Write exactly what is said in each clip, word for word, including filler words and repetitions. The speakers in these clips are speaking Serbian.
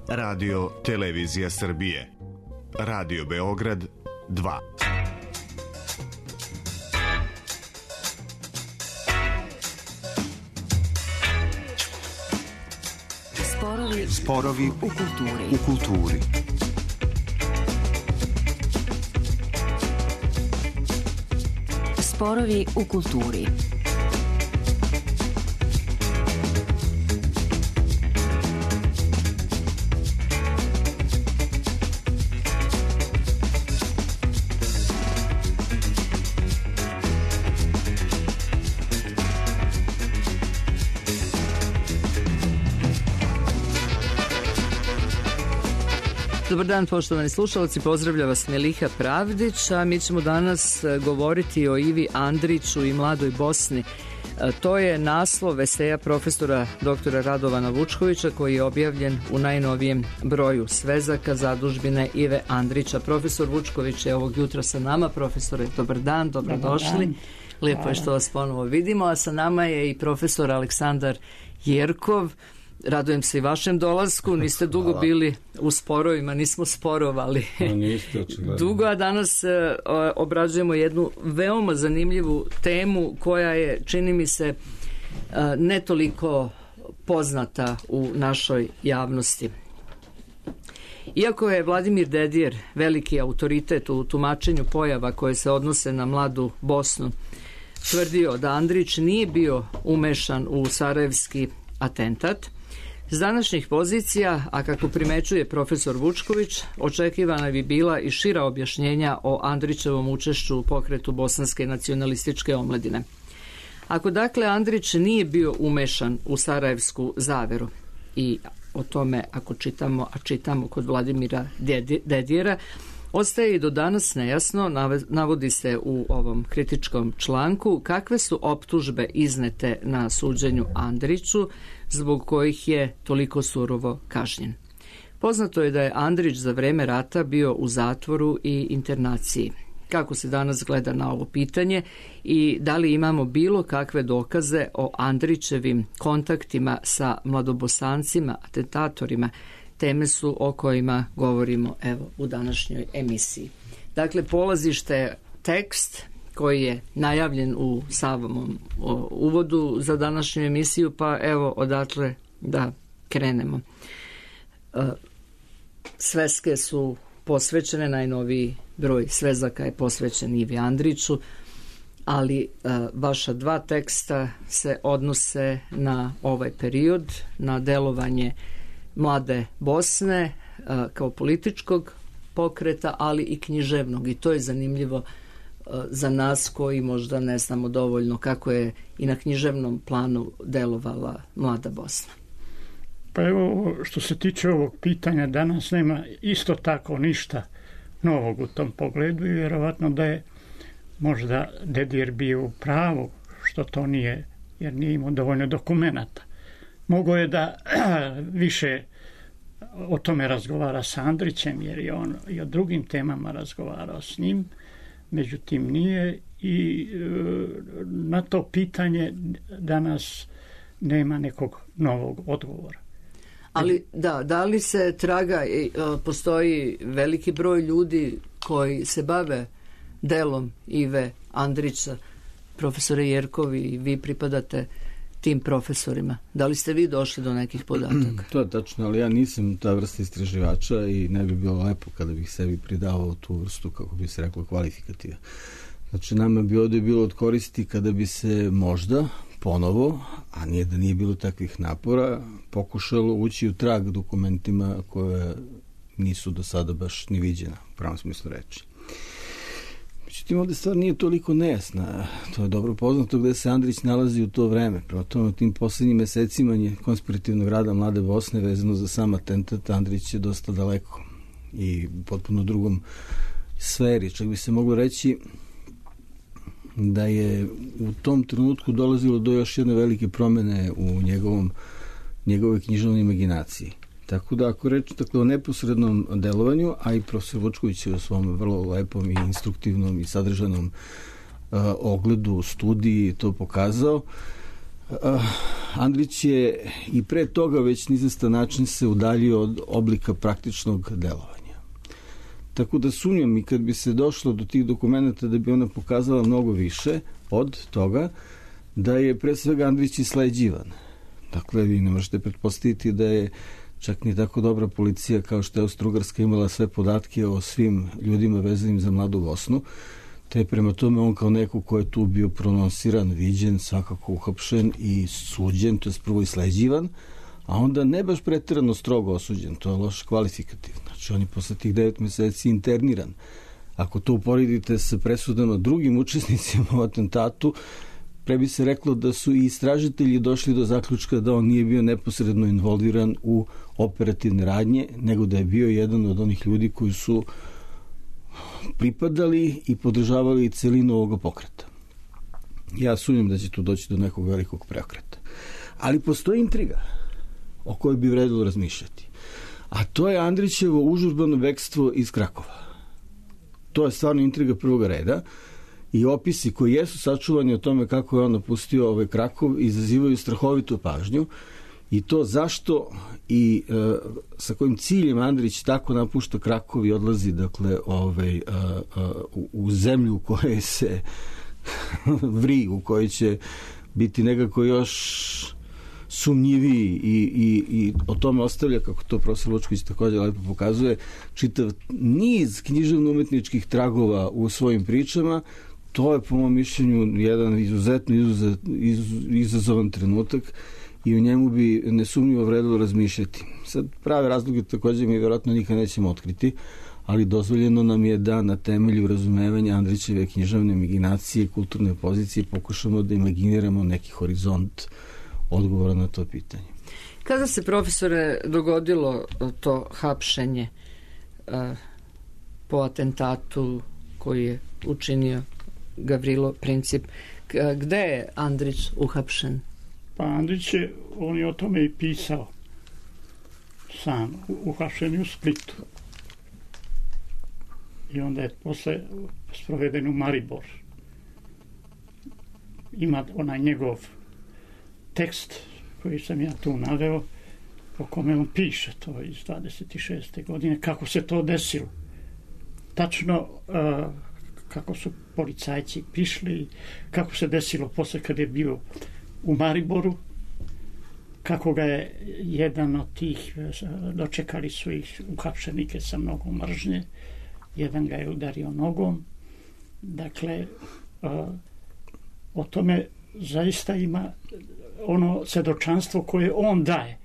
Radio Televizija Srbije. Radio Beograd dva. Sporovi, Sporovi u kulturi. U kulturi. Sporovi u kulturi. Dobar dan, poštovani slušalci, pozdravlja vas Meliha Pravdić, a mi ćemo danas govoriti o Ivi Andriću i mladoj Bosni. To je naslov eseja profesora doktora Radovana Vučkovića koji je objavljen u najnovijem broju Svezaka zadužbine Ive Andrića. Profesor Vučković je ovog jutra sa nama. Profesore, dobar dan, dobrodošli. Lijepo je što vas ponovo vidimo, a sa nama je i profesor Aleksandar Jerkov. Radujem se i vašem dolasku, niste dugo Hvala. bili u sporovima, nismo sporovali no, niste, očigledno. dugo, a danas e, obrađujemo jednu veoma zanimljivu temu koja je, čini mi se, e, ne toliko poznata u našoj javnosti. Iako je Vladimir Dedijer veliki autoritet u tumačenju pojava koje se odnose na mladu Bosnu, tvrdio da Andrić nije bio umešan u sarajevski atentat, s današnjih pozicija, a kako primećuje profesor Vučković, očekivana bi bila i šira objašnjenja o Andrićevom učešću u pokretu bosanske nacionalističke omladine. Ako dakle Andrić nije bio umešan u sarajevsku zaveru, i o tome ako čitamo, a čitamo kod Vladimira Dedijera, ostaje i do danas nejasno, navodi se u ovom kritičkom članku, kakve su optužbe iznete na suđenju Andriću, zbog kojih je toliko surovo kažnjen. Poznato je da je Andrić za vreme rata bio u zatvoru i internaciji. Kako se danas gleda na ovo pitanje i da li imamo bilo kakve dokaze o Andrićevim kontaktima sa mladobosancima, atentatorima, teme su o kojima govorimo evo u današnjoj emisiji. Dakle, polazište je tekst koji je najavljen u samom uvodu za današnju emisiju, pa evo odatle da krenemo. Sveske su posvećene, najnoviji broj Svezaka je posvećen Ivi Andriću, ali vaša dva teksta se odnose na ovaj period, na delovanje mlade Bosne kao političkog pokreta, ali i književnog, i to je zanimljivo za nas koji možda ne znamo dovoljno kako je i na književnom planu delovala mlada Bosna. Pa evo, što se tiče ovog pitanja, danas nema isto tako ništa novog u tom pogledu i vjerovatno da je možda Dedijer bio u pravu što to nije, jer nije imao dovoljno dokumenata. Mogo je da više o tome razgovara sa Andrićem, jer je on i o drugim temama razgovarao s njim, međutim nije, i na to pitanje danas nema nekog novog odgovora. Ali da, da li se traga, postoji veliki broj ljudi koji se bave delom Ive Andrića, profesore Jerkovi, i vi pripadate tim profesorima. Da li ste vi došli do nekih podataka? To je tačno, ali ja nisam ta vrsta istraživača i ne bi bilo lepo kada bih sebi pridavao tu vrstu, kako bi se reklo, kvalifikativa. Znači, nama bi ovdje bilo od koristi kada bi se možda ponovo, a nije da nije bilo takvih napora, pokušalo ući u trag dokumentima koje nisu do sada baš ni viđena, u pravom smislu reči. Međutim, ovdje stvar nije toliko nejasna. To je dobro poznato gde se Andrić nalazi u to vreme. Prema tome, u tim posljednjim mesecima konspirativnog rada mlade Bosne vezano za sam atentat, Andrić je dosta daleko i potpuno drugom sferi. Čak bi se moglo reći da je u tom trenutku dolazilo do još jedne velike promene u njegovom, njegovoj književnoj imaginaciji. Tako da ako reći tako o neposrednom delovanju, a i profesor Vučković je u svom vrlo lepom i instruktivnom i sadržanom uh, ogledu, studiji to pokazao, Andrić je i pre toga već nizastan način se udaljio od oblika praktičnog delovanja. Tako da sumnjam i kad bi se došlo do tih dokumenta da bi ona pokazala mnogo više od toga da je pre svega Andrić isleđivan. Dakle, vi ne možete pretpostaviti da je čak ni tako dobra policija kao što je Austro-Ugarska imala sve podatke o svim ljudima vezanim za Mladu Bosnu, te prema tome on kao neko ko je tu bio prononsiran, viđen, svakako uhapšen i suđen, to je prvo isleđivan, a onda ne baš preterano strogo osuđen, to je loš kvalifikativ. Znači on je posle tih devet meseci interniran. Ako to uporedite sa presudama drugim učesnicima u atentatu, pre bi se reklo da su i istražitelji došli do zaključka da on nije bio neposredno involviran u operativne radnje, nego da je bio jedan od onih ljudi koji su pripadali i podržavali celinu ovoga pokreta. Ja sumnjam da će tu doći do nekog velikog preokreta. Ali postoji intriga o kojoj bi vredilo razmišljati. A to je Andrićevo užurbano bekstvo iz Krakova. To je stvarno intriga prvog reda i opisi koji jesu sačuvani o tome kako je on napustio ovaj Krakov izazivaju strahovitu pažnju i to zašto i e, sa kojim ciljem Andrić tako napušta Krakov i odlazi dakle ovaj, a, a, u, u zemlju u kojoj se vri, u kojoj će biti nekako još sumnjiviji i, i, i o tome ostavlja, kako to profesor Lučković također lepo pokazuje, čitav niz književno-umetničkih tragova u svojim pričama. To je po mom mišljenju jedan izuzetno izuzet, iz, izazovan trenutak i u njemu bi nesumnjivo vredilo razmišljati. Sad prave razloge također mi vjerojatno nikad nećemo otkriti, ali dozvoljeno nam je da na temelju razumevanja Andrićeve književne imaginacije, kulturne pozicije pokušamo da imaginiramo neki horizont odgovora na to pitanje. Kada se, profesore, dogodilo to hapšenje uh, po atentatu koji je učinio Gavrilo Princip, gde je Andrić uhapšen? Pa Andrić je, on je o tome i pisao sam, uhapšen u Splitu. I onda je posle sproveden u Maribor. Ima onaj njegov tekst koji sam ja tu naveo, po kome on piše to iz dvadeset šeste godine, kako se to desilo. Tačno uh, kako su policajci pišli, kako se desilo posle kad je bio u Mariboru, kako ga je jedan od tih, dočekali su ih uhapšenike sa mnogo mržnje, jedan ga je udario nogom. Dakle, uh, o tome zaista ima ono svedočanstvo koje on daje.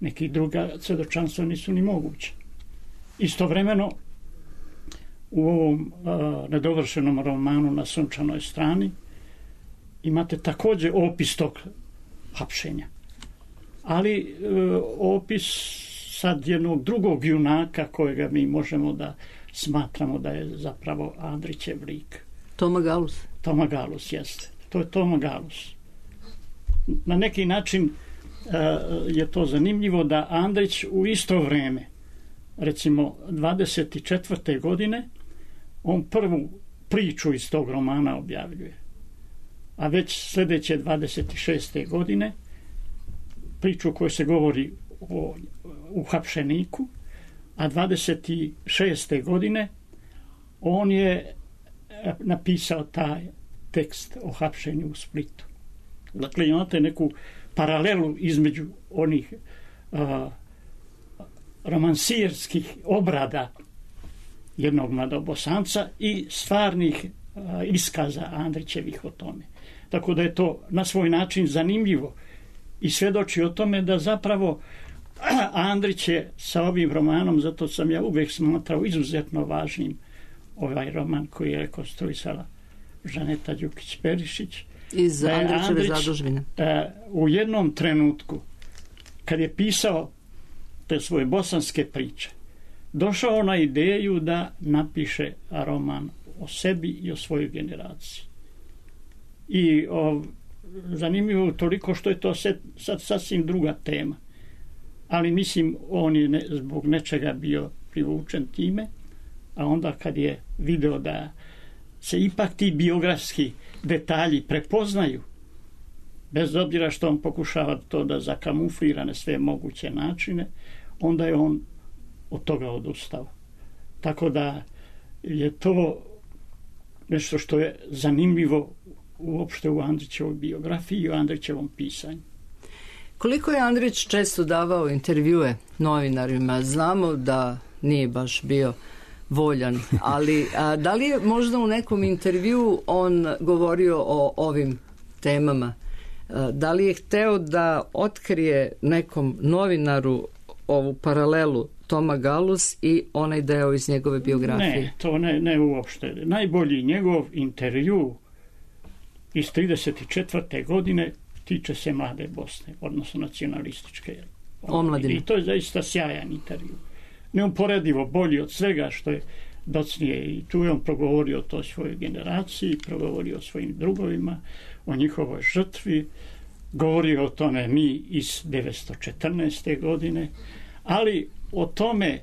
Neki druga svedočanstva nisu ni moguće. Istovremeno, u ovom uh, nedovršenom romanu Na sunčanoj strani imate također opis tog hapšenja. Ali uh, opis sad jednog drugog junaka kojega mi možemo da smatramo da je zapravo Andrićev lik. Toma Galus. Toma Galus, jeste. To je Toma Galus. Na neki način uh, je to zanimljivo da Andrić u isto vreme, recimo dvadeset četvrte godine, on prvu priču iz tog romana objavljuje. A već sljedeće dvadeset šeste godine priču u kojoj se govori o uhapšeniku, a dvadeset šeste godine on je napisao taj tekst o hapšenju u Splitu. Dakle, imate neku paralelu između onih uh, romansirskih obrada jednog mladobosanca i stvarnih uh, iskaza Andrićevih o tome. Tako da je to na svoj način zanimljivo i svjedoči o tome da zapravo Andrić je sa ovim romanom, zato sam ja uvijek smatrao izuzetno važnim ovaj roman koji je rekonstruisala Žaneta Đukić-Perišić, iz Andrićeve zadužbine. Uh, u jednom trenutku kad je pisao te svoje bosanske priče, došao na ideju da napiše roman o sebi i o svojoj generaciji. I o, zanimljivo toliko što je to sad, sad sasvim druga tema. Ali mislim, on je ne, zbog nečega bio privučen time, a onda kad je video da se ipak ti biografski detalji prepoznaju bez obzira što on pokušava to da zakamuflira na sve moguće načine, onda je on od toga odustao. Tako da je to nešto što je zanimljivo uopšte u Andrićevoj biografiji i u Andrićevom pisanju. Koliko je Andrić često davao intervjue novinarima? Znamo da nije baš bio voljan, ali a, da li je možda u nekom intervjuu on govorio o ovim temama? A, da li je hteo da otkrije nekom novinaru ovu paralelu Toma Gallus i onaj deo iz njegove biografije? Ne, to ne, ne uopšte. Najbolji njegov intervju iz trideset četvrte godine tiče se Mlade Bosne, odnosno nacionalističke omladine. I to je zaista sjajan intervju. Neuporedivo bolji od svega što je docnije, i tu je on progovorio o toj svojoj generaciji, progovorio o svojim drugovima, o njihovoj žrtvi, govorio o tome mi iz devetsto četrnaeste godine, ali o tome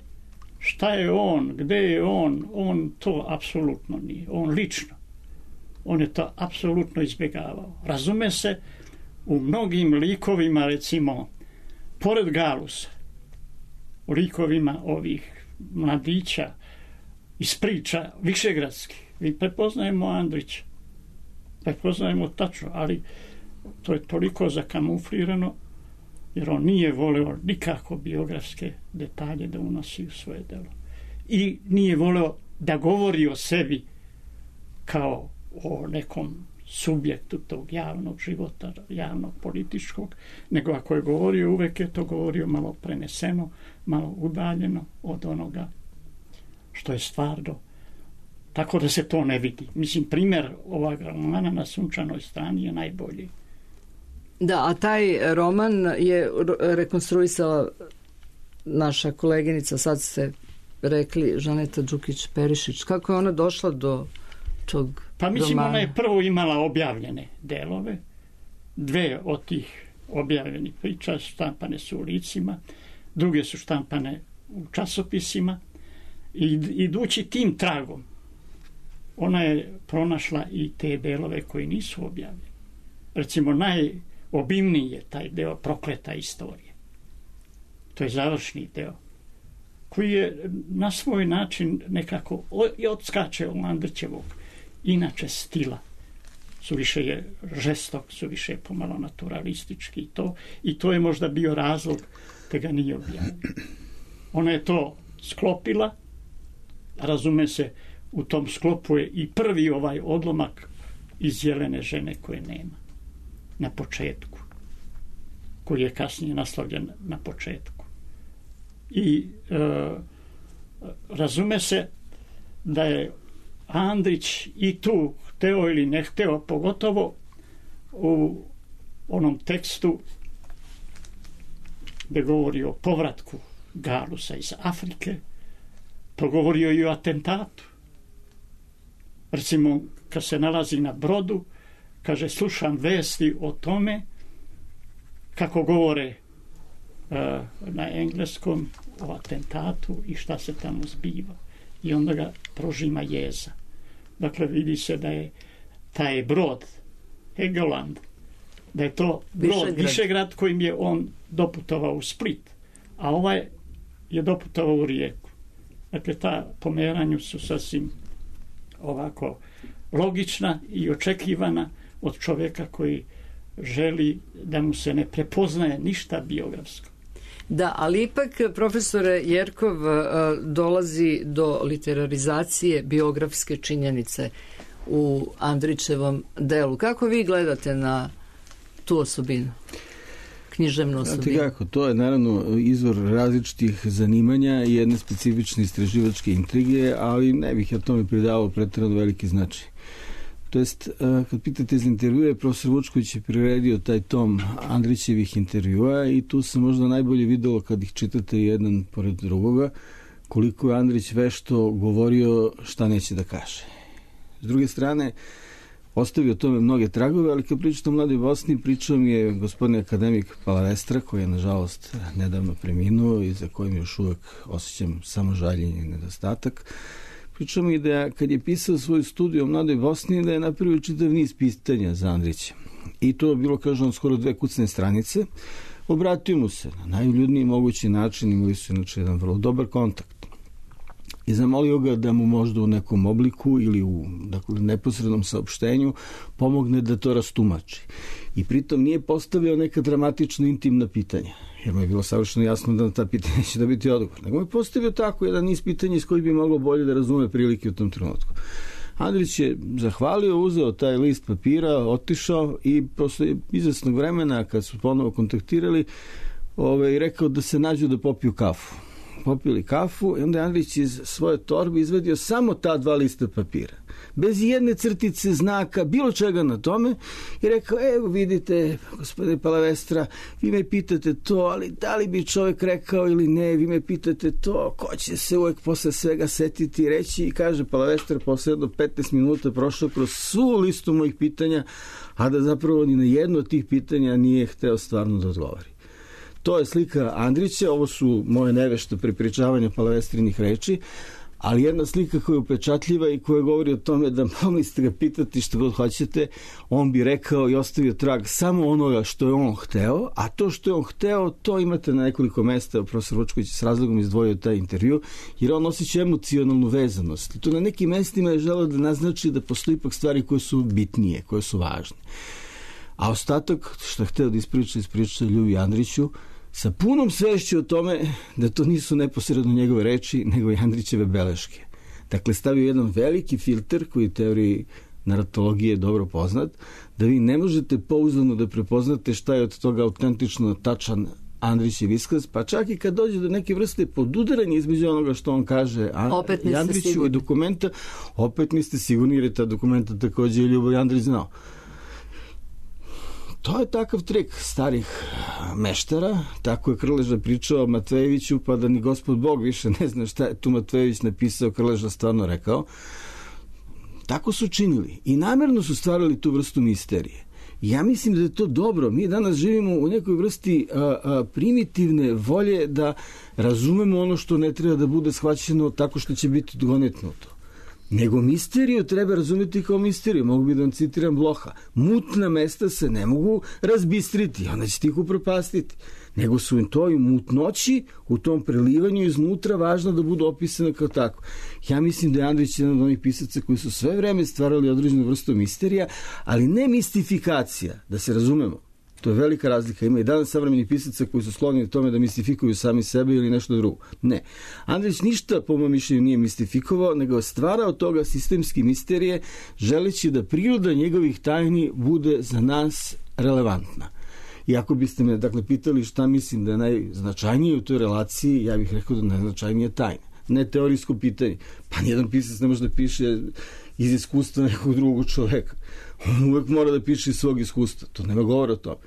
šta je on, gde je on, on to apsolutno nije, on lično. On je to apsolutno izbjegavao. Razume se, u mnogim likovima, recimo, pored Galusa, u likovima ovih mladića iz priča višegradskih, mi prepoznajemo Andrića, prepoznajemo tačno, ali to je toliko zakamuflirano, jer on nije voleo nikako biografske detalje da unosi u svoje delo. I nije voleo da govori o sebi kao o nekom subjektu tog javnog života, javnog političkog, nego ako je govorio, uvek je to govorio malo preneseno, malo udaljeno od onoga što je stvarno. Tako da se to ne vidi. Mislim, primjer ovog romana Na sunčanoj strani je najbolji. Da, a taj roman je rekonstruisala naša koleginica, sad ste rekli, Žaneta Đukić-Perišić. Kako je ona došla do tog Pa mislim, romana? ona je prvo imala objavljene delove. Dve od tih objavljenih priča štampane su u licima, druge su štampane u časopisima. I idući tim tragom, ona je pronašla i te delove koji nisu objavljeni. Recimo, najobimniji je taj deo Prokleta istorije. To je završni deo, koji je na svoj način nekako odskače od Andrićevog inače stila. Suviše je žestok, suviše je pomalo naturalistički i to, i to je možda bio razlog da ga nije objavio. Ona je to sklopila, razume se, u tom sklopu je i prvi ovaj odlomak iz Jelene žene koje nema na početku, koji je kasnije naslovljen na početku. I e, razume se da je Andrić i tu hteo ili ne hteo, pogotovo u onom tekstu gde govori o povratku Galusa iz Afrike, progovorio i o atentatu. Recimo, kad se nalazi na brodu, kaže, slušam vesti o tome kako govore uh, na engleskom o atentatu i šta se tamo zbiva. I onda ga prožima jeza. Dakle, vidi se da je taj brod, Helgoland, da je to brod Višegrad, Višegrad kojim je on doputovao u Split, a ovaj je doputovao u Rijeku. Dakle, ta pomeranju su sasvim ovako logična i očekivana od čovjeka koji želi da mu se ne prepoznaje ništa biografsko. Da, ali ipak, profesore Jerkov, dolazi do literarizacije biografske činjenice u Andrićevom delu. Kako vi gledate na tu osobinu? Književnu osobinu? Znate kako, to je naravno izvor različitih zanimanja i jedne specifične istraživačke intrige, ali ne bih ja tome pridavao pretjerano veliki značaj. To jest, kad pitate za intervjue, profesor Vučković je priredio taj tom Andrićevih intervjua i tu se možda najbolje videlo kad ih čitate jedan pored drugoga, koliko je Andrić vešto govorio šta neće da kaže. S druge strane, ostavio tome mnoge tragove, ali kad pričate o Mladoj Bosni, pričao mi je gospodin akademik Palavestra, koji je nažalost nedavno preminuo i za kojim još uvek osjećam samo žaljenje i nedostatak. Pričao mi da kad je pisao svoju studiju o Mladoj Bosni, da je napravio čitav niz pitanja za Andrića. i to je bilo, kažem, skoro dve kucne stranice. Obratio mu se na najljudniji mogući način, imali su inače jedan vrlo dobar kontakt. I zamolio ga da mu možda u nekom obliku ili u dakle, neposrednom saopštenju pomogne da to rastumači. I pritom nije postavio neka dramatično intimna pitanja, jer mu je bilo savršeno jasno da na ta pitanja će dobiti odgovor. Nego je postavio tako jedan niz pitanja iz kojih bi moglo bolje da razume prilike u tom trenutku. Andrić je zahvalio, uzeo taj list papira, otišao i posle izvesnog vremena, kad su ponovo kontaktirali, ovaj, rekao da se nađu da popiju kafu. Popili kafu i onda je Andrić iz svoje torbe izvadio samo ta dva lista papira. Bez jedne crtice, znaka, bilo čega na tome i rekao, evo vidite, gospodine Palavestra, vi me pitate to, ali da li bi čovjek rekao ili ne, vi me pitate to, ko će se uvek posle svega setiti i reći, i kaže Palavestra posle jedno petnaest minuta prošao kroz svu listu mojih pitanja, a da zapravo ni na jedno od tih pitanja nije hteo stvarno da odgovori. To je slika Andrića, ovo su moje nevešte prepričavanja Palavestrinih reči, ali jedna slika koja je upečatljiva i koja govori o tome da mogli ste ga pitati što god hoćete, on bi rekao i ostavio trag samo onoga što je on hteo, a to što je on hteo, to imate na nekoliko mesta. Profesor Vučković s razlogom izdvojio taj intervju, jer on osjeća emocionalnu vezanost. I to na nekim mestima je želeo da naznači da postoji ipak stvari koje su bitnije, koje su važne. A ostatak što je hteo da ispriča, ispriča Ljubi Andriću, sa punom svešću o tome da to nisu neposredno njegove reči, nego i Andrićeve beleške. Dakle, stavio jedan veliki filter koji u teoriji naratologije je dobro poznat, da vi ne možete pouzdano da prepoznate šta je od toga autentično tačan Andrićev iskaz, pa čak i kad dođe do neke vrste podudaranja između onoga što on kaže Andriću i dokumenta, opet niste sigurni, jer je ta dokumenta takođe i Ljubo Andrić znao. To je takav trik starih meštara, tako je Krleža pričao o Matvejeviću, pa da ni gospod Bog više ne zna šta je tu Matvejević napisao, Krleža stvarno rekao. Tako su činili i namjerno su stvarali tu vrstu misterije. Ja mislim da je to dobro. Mi danas živimo u nekoj vrsti a, a, primitivne volje da razumemo ono što ne treba da bude shvaćeno tako što će biti odgonetnuto. Nego misteriju treba razumjeti kao misteriju. Mogu bi da vam citiram Bloha. Mutna mesta se ne mogu razbistriti, onda ćete ih upropastiti. Nego su im to i mutnoći u tom prelivanju iznutra važno da budu opisane kao tako. Ja mislim da je Andrić jedan od onih pisaca koji su sve vreme stvarali određenu vrstu misterija, ali ne mistifikacija, da se razumemo. To je velika razlika. Ima i danas savremenih pisaca koji su skloni u tome da mistifikuju sami sebe ili nešto drugo. Ne. Andrić ništa, po mojom mišljenju, nije mistifikovao, nego je stvarao toga sistemski misterije, želeći da priroda njegovih tajni bude za nas relevantna. I ako biste me, dakle, pitali šta mislim da je najznačajnije u toj relaciji, ja bih rekao da najznačajnije tajna. Ne teorijsko pitanje. Pa nijedan pisac ne može da piše iz iskustva nekog drugog čoveka. On uvek mora da piše iz svog iskustva. To nema govora o tome.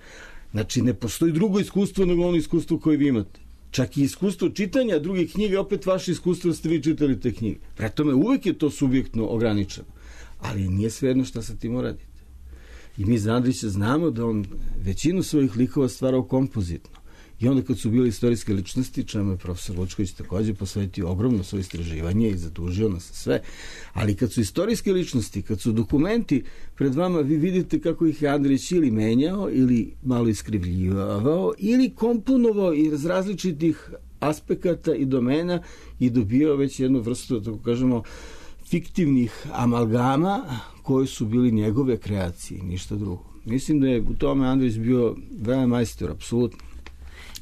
Znači, ne postoji drugo iskustvo nego ono iskustvo koje vi imate. Čak i iskustvo čitanja drugih knjiga, opet vaše iskustvo da ste vi čitali te knjige. Pre tome, uvek je to subjektno ograničeno. Ali nije svejedno šta sa tim uradite. I mi za Andrića znamo da on većinu svojih likova stvarao kompozitno. I onda kad su bili istorijske ličnosti, čemu je profesor Vučković takođe posvetio ogromno svoje istraživanje i zadužio nas sve, ali kad su istorijske ličnosti, kad su dokumenti pred vama, vi vidite kako ih je Andrić ili menjao, ili malo iskrivljivao, ili komponovao iz različitih aspekata i domena i dobio već jednu vrstu, tako kažemo, fiktivnih amalgama koje su bili njegove kreacije, ništa drugo. Mislim da je u tome Andrić bio veoma majstor, apsolutno.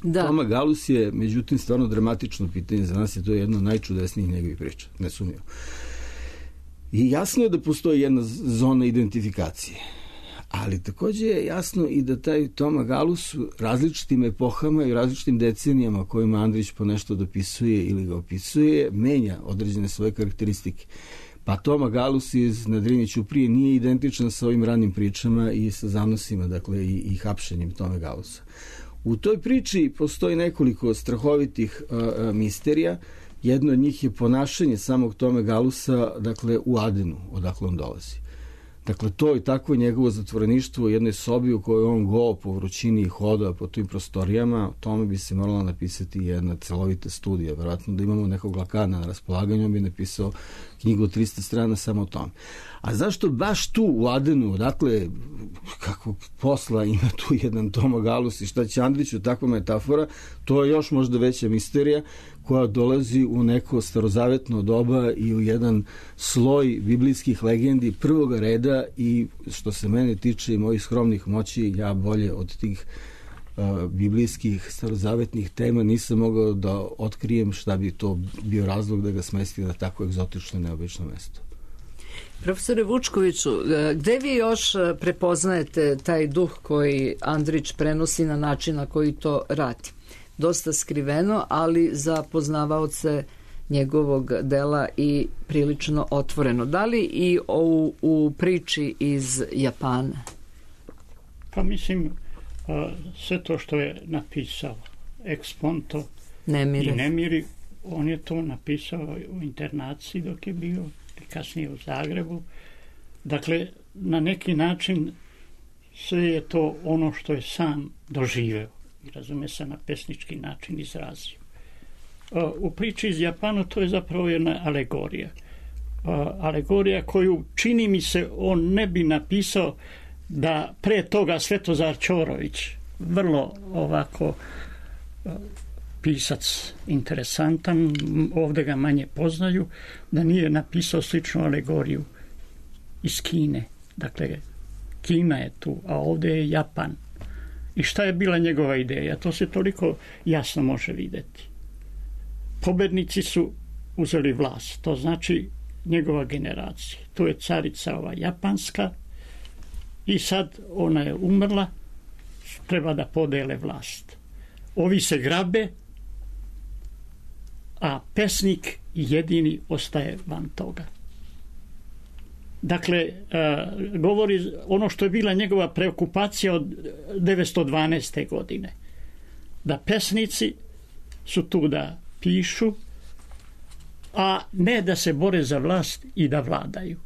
Da. Toma Galus je, međutim, stvarno dramatično pitanje. Za nas je to jedno od najčudesnijih njegovih priča, nesumnjivo. I jasno je da postoji jedna zona identifikacije. Ali takođe je jasno i da taj Toma Galus u različitim epohama i različitim decenijama kojima Andrić po nešto dopisuje ili ga opisuje, menja određene svoje karakteristike. Pa Toma Galus iz Nadrinje Ćuprije nije identičan sa ovim ranim pričama i sa zanosima, dakle, i, i hapšenjem Tome Galusa. U toj priči postoji nekoliko strahovitih uh, misterija. Jedno od njih je ponašanje samog Tome Galusa, dakle, u Adenu, odakle on dolazi. Dakle, to i tako njegovo zatvoreništvo u jednoj sobi u kojoj on go po vrućini hoda po tim prostorijama, o tome bi se morala napisati jedna celovita studija. Vjerojatno da imamo nekog Lakana na raspolaganju, on bi napisao knjigu od trista strana samo o tome. A zašto baš tu u Adenu, dakle, kako posla ima tu jedan Tomagalus i šta će Andriću, takva metafora, to je još možda veća misterija koja dolazi u neko starozavetno doba i u jedan sloj biblijskih legendi prvoga reda i što se mene tiče i mojih skromnih moći, ja bolje od tih uh, biblijskih starozavetnih tema nisam mogao da otkrijem šta bi to bio razlog da ga smesti na tako egzotično i neobično mesto. Profesore Vučkoviću, gde vi još prepoznajete taj duh koji Andrić prenosi na način na koji to radi? Dosta skriveno, ali za poznavaoce njegovog dela i prilično otvoreno. Da li i u, u priči iz Japana? Pa mislim, sve to što je napisao Eksponto Nemiri. i Nemiri, on je to napisao u internaciji dok je bio i kasnije u Zagrebu. Dakle, na neki način sve je to ono što je sam doživeo i razume se na pesnički način izrazio. U priči iz Japana to je zapravo jedna alegorija. Alegorija koju čini mi se on ne bi napisao da pre toga Svetozar Ćorović, vrlo ovako pisac interesantan, ovdje ga manje poznaju, da nije napisao sličnu alegoriju iz Kine. Dakle, Kina je tu, a ovdje je Japan. I šta je bila njegova ideja? To se toliko jasno može vidjeti. Pobednici su uzeli vlast, to znači njegova generacija. To je carica ova japanska i sad ona je umrla, treba da podele vlast. Ovi se grabe, a pesnik jedini ostaje van toga. Dakle, uh, govori ono što je bila njegova preokupacija od devetsto dvanaeste. godine. Da pesnici su tu da pišu, a ne da se bore za vlast i da vladaju.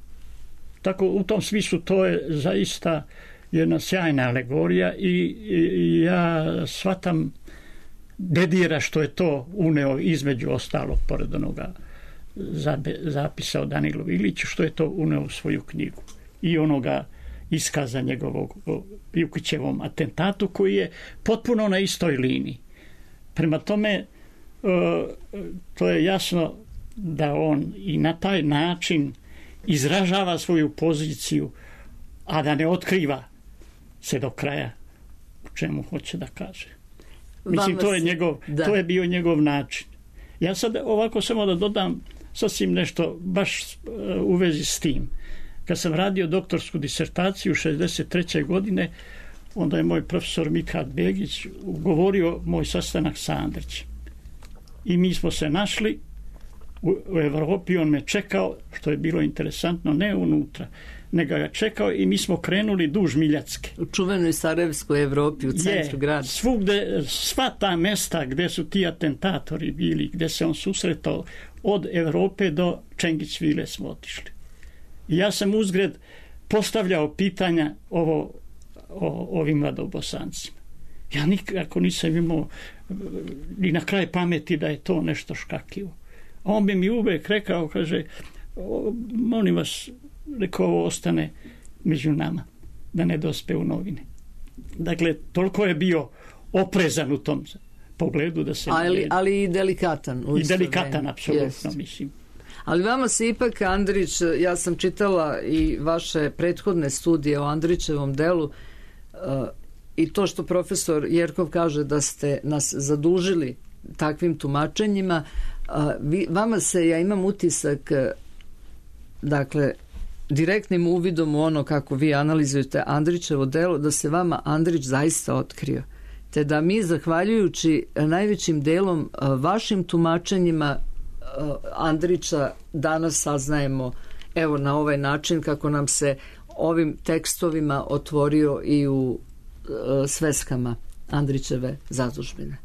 Tako, u tom smislu to je zaista jedna sjajna alegorija i, i, i ja shvatam Dedira što je to uneo između ostalog pored onoga zapisa o Danilu Iliću, što je to uneo u svoju knjigu i onoga iskaza njegovog o Jukićevom atentatu koji je potpuno na istoj liniji. Prema tome to je jasno da on i na taj način izražava svoju poziciju, a da ne otkriva se do kraja u čemu hoće da kaže. Mislim, to je, njegov, to je bio njegov način. Ja sad ovako samo da dodam sasvim nešto baš u vezi s tim. Kad sam radio doktorsku disertaciju šezdeset treće. godine, onda je moj profesor Mithat Begić ugovorio moj sastanak sa Andrićem. I mi smo se našli u, u Evropi, on me čekao, što je bilo interesantno, ne unutra, nego ga čekao i mi smo krenuli duž Miljacke. U čuvenoj Sarajevskoj Evropi, u centru grada. Svugde, sva ta mesta gdje su ti atentatori bili, gdje se on susretao, od Evrope do Čengićvile smo otišli. I ja sam uzgred postavljao pitanja ovo, o ovim mladobosancima. Ja nikako nisam imao ni na kraj pameti da je to nešto škakljivo. A on bi mi uvek rekao, kaže, molim vas, rekao, ovo ostane među nama, da ne dospe u novine. Dakle, toliko je bio oprezan u tom pogledu da se... Ali, ali i delikatan. I delikatan, apsolutno, mislim. Ali vama se ipak, Andrić, ja sam čitala i vaše prethodne studije o Andrićevom delu, uh, i to što profesor Jerkov kaže da ste nas zadužili takvim tumačenjima, uh, vi, vama se, ja imam utisak, dakle, direktnim uvidom u ono kako vi analizujete Andrićevo delo, da se vama Andrić zaista otkrio. Te da mi, zahvaljujući najvećim delom vašim tumačenjima Andrića, danas saznajemo evo na ovaj način kako nam se ovim tekstovima otvorio i u sveskama Andrićeve zadužbine.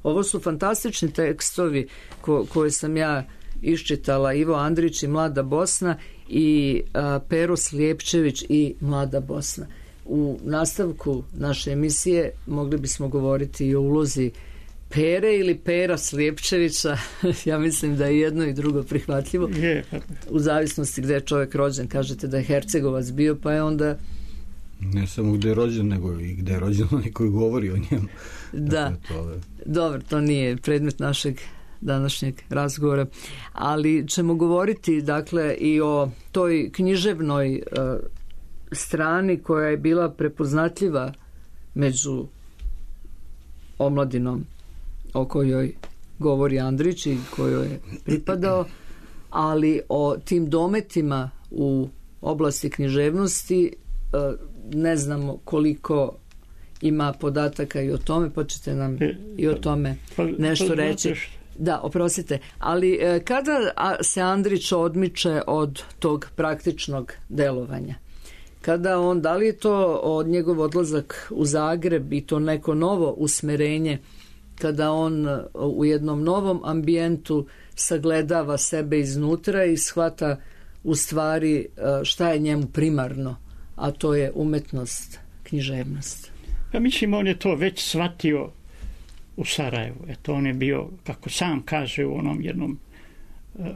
Ovo su fantastični tekstovi ko, koje sam ja iščitala Ivo Andrić i Mlada Bosna i a, Pero Slijepčević i Mlada Bosna. U nastavku naše emisije mogli bismo govoriti i o ulozi Pere ili Pera Slijepčevića. Ja mislim da je jedno i drugo prihvatljivo. U zavisnosti gde je čovjek rođen. Kažete da je Hercegovac bio, pa je onda... Ne samo gde je rođen, nego i gde je rođen onaj koji govori o njemu. Da, to je... dobro, to nije predmet našeg današnjeg razgovora, ali ćemo govoriti dakle i o toj književnoj uh, strani koja je bila prepoznatljiva među omladinom o kojoj govori Andrić i kojoj je pripadao, ali o tim dometima u oblasti književnosti ne znamo koliko ima podataka i o tome, pa ćete nam i o tome nešto reći. Da, oprostite, ali kada se Andrić odmiče od tog praktičnog delovanja? Kada on, da li je to od njegov odlazak u Zagreb i to neko novo usmerenje, kada on u jednom novom ambijentu sagledava sebe iznutra i shvata u stvari šta je njemu primarno, a to je umetnost, književnost? Ja mislim, on je to već shvatio u Sarajevu. Eto, on je bio, kako sam kaže u onom jednom,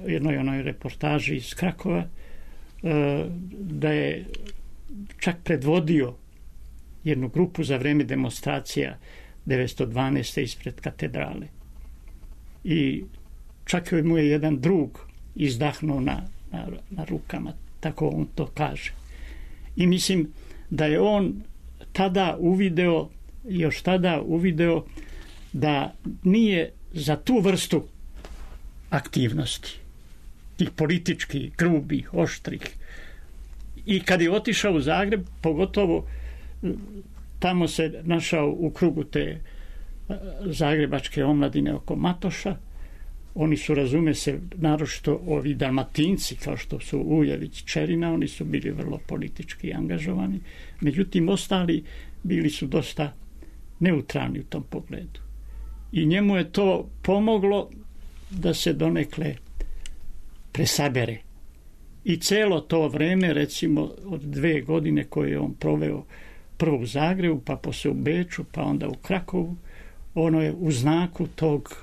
jednoj onoj reportaži iz Krakova, da je čak predvodio jednu grupu za vreme demonstracija devetsto dvanaeste ispred katedrale. I čak mu je jedan drug izdahnuo na, na, na rukama, tako on to kaže. I mislim da je on tada uvideo, još tada uvideo da nije za tu vrstu aktivnosti, tih političkih, grubih, oštrih. I kad je otišao u Zagreb, pogotovo tamo se našao u krugu te zagrebačke omladine oko Matoša. Oni su, razume se, naročito ovi Dalmatinci, kao što su Ujević, Čerina, oni su bili vrlo politički angažovani. Međutim, ostali bili su dosta neutralni u tom pogledu. I njemu je to pomoglo da se donekle presabere. I celo to vreme, recimo od dve godine koje je on proveo prvo u Zagrebu, pa posle u Beču, pa onda u Krakovu, ono je u znaku tog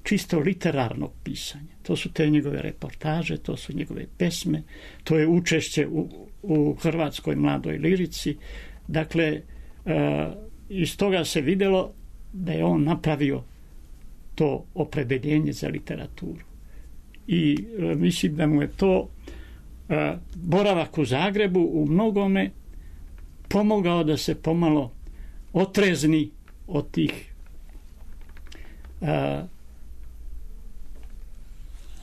čisto literarnog pisanja. To su te njegove reportaže, to su njegove pesme, to je učešće u, u hrvatskoj mladoj lirici. Dakle, e, iz toga se videlo da je on napravio to opredeljenje za literaturu. I e, mislim da mu je to e, boravak u Zagrebu u mnogome pomogao da se pomalo otrezni od tih e,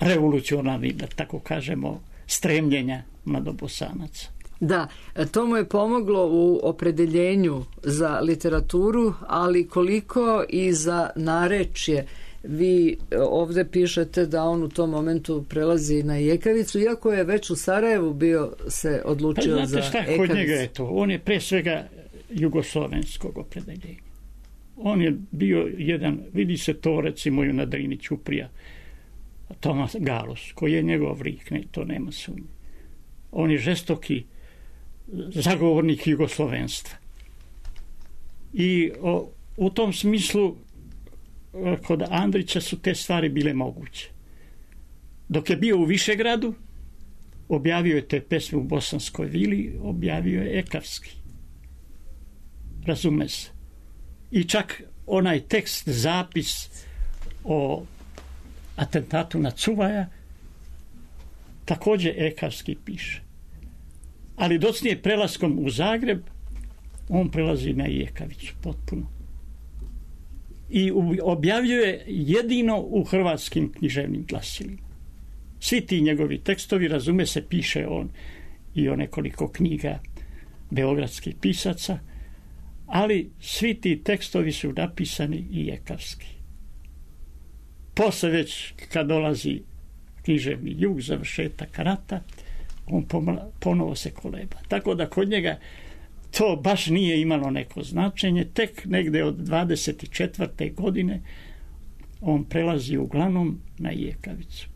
revolucionarnih, da tako kažemo, stremljenja mladobosanaca. Da, to mu je pomoglo u opredeljenju za literaturu, ali koliko i za narečje. Vi ovde pišete da on u tom momentu prelazi na jekavicu, iako je već u Sarajevu bio se odlučio pa, za šta, ekavicu. Kod njega je to. On je pre svega jugoslovenskog opredeljenja. On je bio jedan, vidi se to recimo i na Drini Ćuprija, Tomas Galos, koji je njegov lik, ne, to nema sumnje. On je žestoki zagovornik jugoslovenstva. I o, u tom smislu kod Andrića su te stvari bile moguće. Dok je bio u Višegradu, objavio je te pesme u Bosanskoj vili, objavio je ekavski. Razume se. I čak onaj tekst, zapis o atentatu na Cuvaja, također ekavski piše. Ali docnije prelaskom u Zagreb, on prelazi na Jekavicu potpuno. I objavljuje jedino u hrvatskim književnim glasilima. Svi ti njegovi tekstovi, razume se, piše on i o nekoliko knjiga beogradskih pisaca, ali svi ti tekstovi su napisani i jekavski. Posle već kad dolazi književni jug, završetak rata, on ponovo se koleba. Tako da kod njega to baš nije imalo neko značenje. Tek negde od dvadeset četvrte godine on prelazi uglavnom na jekavicu.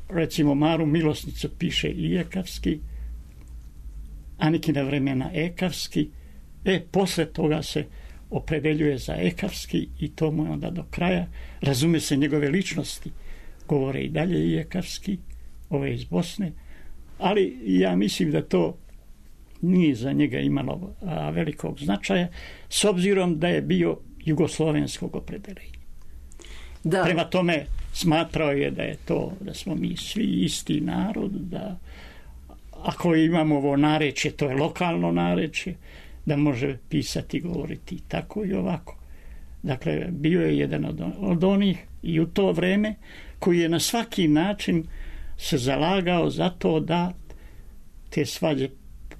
recimo Maru Milosnicu piše i ekavski, Anikina vremena ekavski, e, posle toga se opredeljuje za ekavski i to mu je onda do kraja. Razume se, njegove ličnosti govore i dalje i ekavski, ove iz Bosne, ali ja mislim da to nije za njega imalo a, velikog značaja, s obzirom da je bio jugoslovenskog opredeljenja. Da. Prema tome smatrao je da je to, da smo mi svi isti narod, da ako imamo ovo narečje, to je lokalno narečje, da može pisati, govoriti tako i ovako. Dakle, bio je jedan od, od onih i u to vreme koji je na svaki način se zalagao za to da te svađe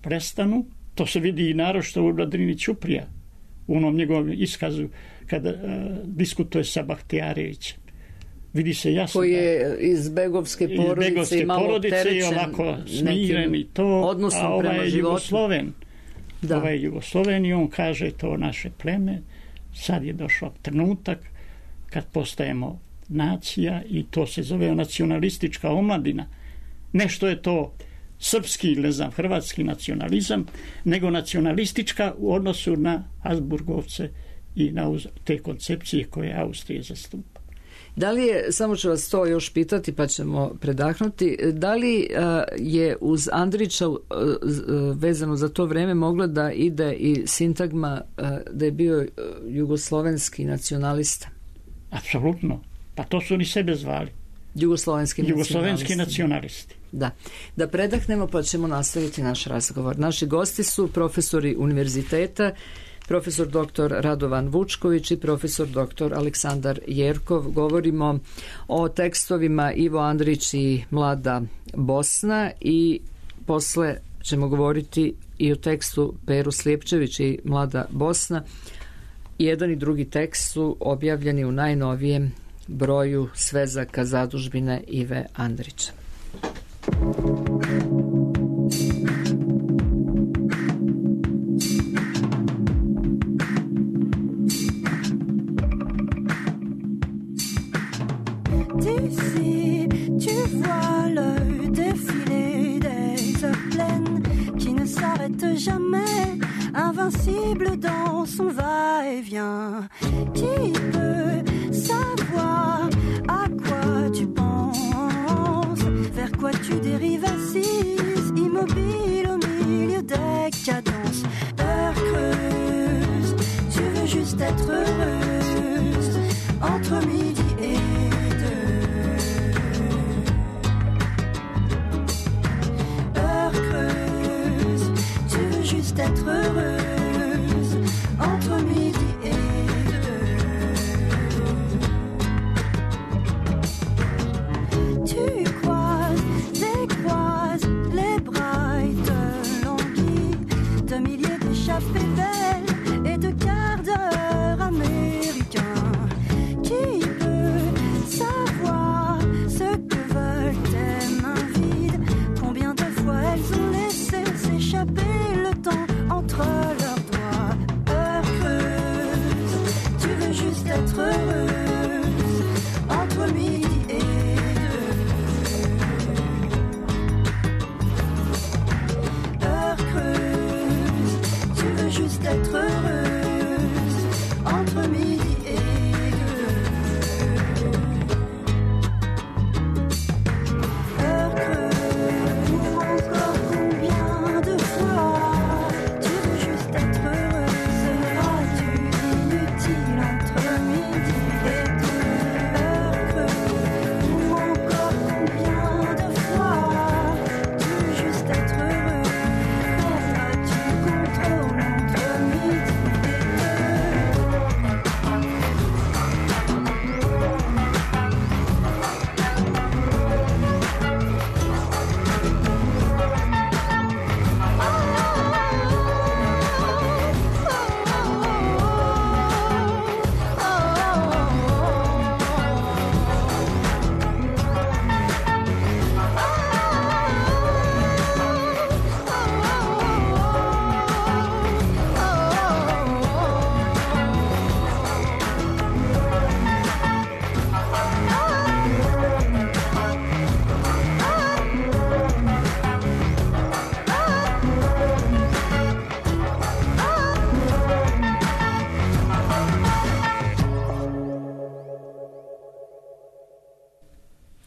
prestanu. To se vidi i naročito u Vladrini Ćuprija, u onom njegovom iskazu kada uh, diskutuje sa Bahtijarevićem. Vidi se jasno. Koji je iz begovske porodice, iz begovske i malo porodice i ovako smiren i to, a ovaj je Jugosloven. Da. Ovaj je Jugosloven i on kaže to naše pleme, sad je došao trenutak kad postajemo nacija i to se zove nacionalistička omladina. Nešto je to srpski, ne znam, hrvatski nacionalizam, nego nacionalistička u odnosu na Habsburgovce i na te koncepcije koje Austrija zastupa. Da li je, samo ću vas to još pitati pa ćemo predahnuti, da li uh, je uz Andrića uh, vezano za to vreme mogla da ide i sintagma uh, da je bio uh, jugoslovenski nacionalista? Apsolutno. Pa to su oni sebe zvali. Jugoslovenski, Jugoslovenski nacionalisti. Da. Da predahnemo pa ćemo nastaviti naš razgovor. Naši gosti su profesori univerziteta, profesor doktor Radovan Vučković i profesor doktor Aleksandar Jerkov. Govorimo o tekstovima Ivo Andrić i Mlada Bosna i posle ćemo govoriti i o tekstu Peru Slijepčević i Mlada Bosna. Jedan i drugi tekst su objavljeni u najnovijem broju svezaka zadužbine Ive Andrića. D'ici, tu vois le défilé des heures pleines qui ne s'arrête jamais, invincible dans son va-et-vient. Qui peut savoir à quoi tu penses, vers quoi tu dérives assise, immobile au milieu des cadences. Heure creuse, tu veux juste être heureuse, entre midi et d'être heureuse entre midi et deux. Tu croises, décroises les bras et te languis de milliers d'échappées belles et de quarts d'heure américains qui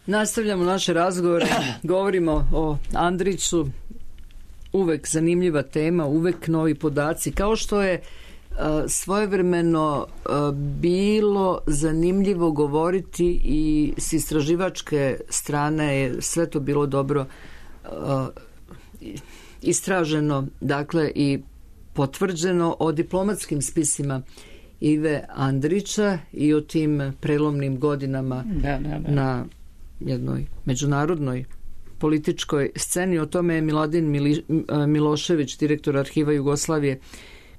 Nastavljamo naše razgovore, govorimo o Andriću, uvek zanimljiva tema, uvek novi podaci, kao što je uh, svojevremeno uh, bilo zanimljivo govoriti i s istraživačke strane je sve to bilo dobro uh, istraženo, dakle i potvrđeno o diplomatskim spisima Ive Andrića i o tim prelomnim godinama da, da, da. na jednoj međunarodnoj političkoj sceni. O tome je Miladin Mili, Milošević, direktor Arhiva Jugoslavije,